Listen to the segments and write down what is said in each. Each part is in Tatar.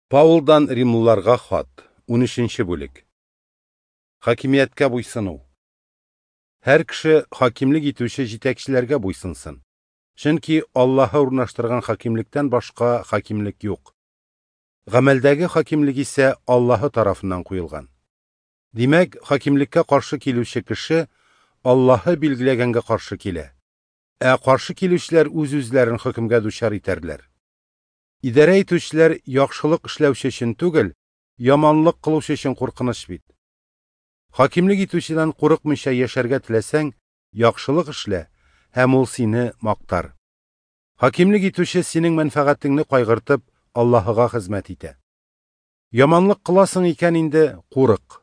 Паулдан Римлыларга хат, 13 бүлек. Хакимияткә буйсыну. Һәр кеше хакимлек итүче җитәкчеләргә буйсынсын. Чөнки Аллаһы урнаштырган хакимлектән башка хакимлек юк. Гамәлдәге хакимлек исә Аллаһы тарафыннан куелган. Димәк, хакимлеккә каршы килүче кеше Аллаһы билгеләгәнгә каршы килә. Ә каршы килүчеләр үз-үзләрен хөкемгә дучар итәрләр. Идарә итүчеләр яхшылык эшләүче өчен түгел, яманлык кылучы өчен куркыныч бит. Хакимлек итүчедән курыкмыйча яшәргә теләсәң, яхшылык эшлә, һәм ул сине мактар. Хакимлек итүче синең мәнфәгатеңне кайгыртып, Аллаһыга хезмәт итә. Яманлык кыласың икән инде, курык.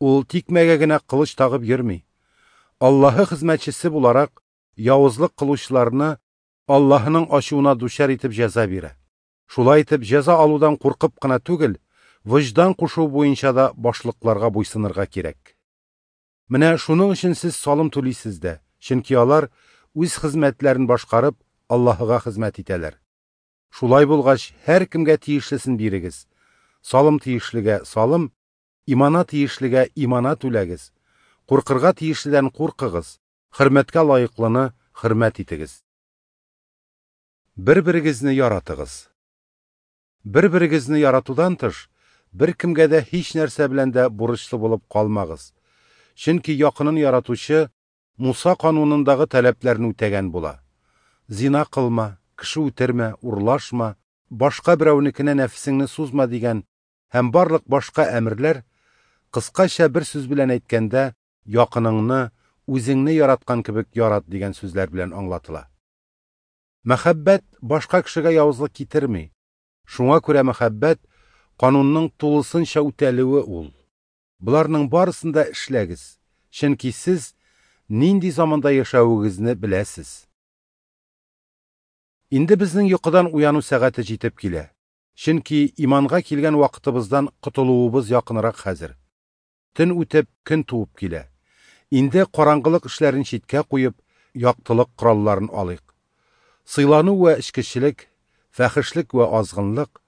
Ул тикмәгә генә кылыч тагып йөрми. Аллаһы хезмәтчесе буларак, явызлык кылучыларны Аллаһының ачуына дучар итеп җәза бирә. Шулай итеп, җәза алудан куркып кына түгел, вөҗдан кушуы буенча да башлыкларга буйсынырга кирәк. Менә шуның өчен сез салым түлисез дә, чөнки алар үз хезмәтләрен башкарып, Аллаһыга хезмәт итәләр. Шулай булгач, һәркемгә тиешлесен бирегез. Салым тиешлегә салым, имана тиешлегә имана түләгез. Куркырга тиешледән куркыгыз, хөрмәткә лаеклыны хөрмәт итегез. Бер-берегезне яратыгыз. Бер-берегезне яратудан тыш, беркемгә дә һич нәрсә белән дә бурычлы булып калмагыз. Чөнки якынын яратучы Муса канунындагы таләпләрне үтәгән була. Зина кылма, кеше үтермә, урлашма, башка берәүнекенә нәфесеңне сузма дигән һәм барлык башка әмерләр, кыскача бер сүз белән әйткәндә, якыныңны үзеңне яраткан кебек ярат дигән сүзләр белән аңлатыла. Мәхәббәт башка кешегә явызлык китерми. Шуңа күрә мәхәббәт канунның тулысынча үтәлүе ул. Боларның барысын да эшләгез, чөнки сез нинди заманда яшәвегезне беләсез. Инде безнең йокыдан уяну сәгате җитеп килә. Чөнки иманга килгән вакытыбыздан котылуыбыз якынрак хәзер. Төн үтеп, көн туып килә. Инде караңгылык эшләрен читкә куеп, яктылык коралларын алыйк. Сыйлану вә эчкечелек, фәхешлек вә азгынлык,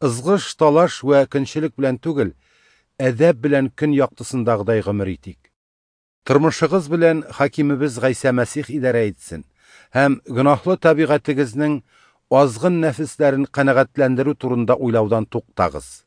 ызгыш, талаш вә көнчелек белән түгел, әдәп белән көн яктысындагыдай гомер итик. Тормышыгыз белән хакимебез Гайсә Мәсих идарә итсен һәм гөнаһлы табигатегезнең азгын нәфесләрен канәгатьләндерү турында уйлаудан туктагыз.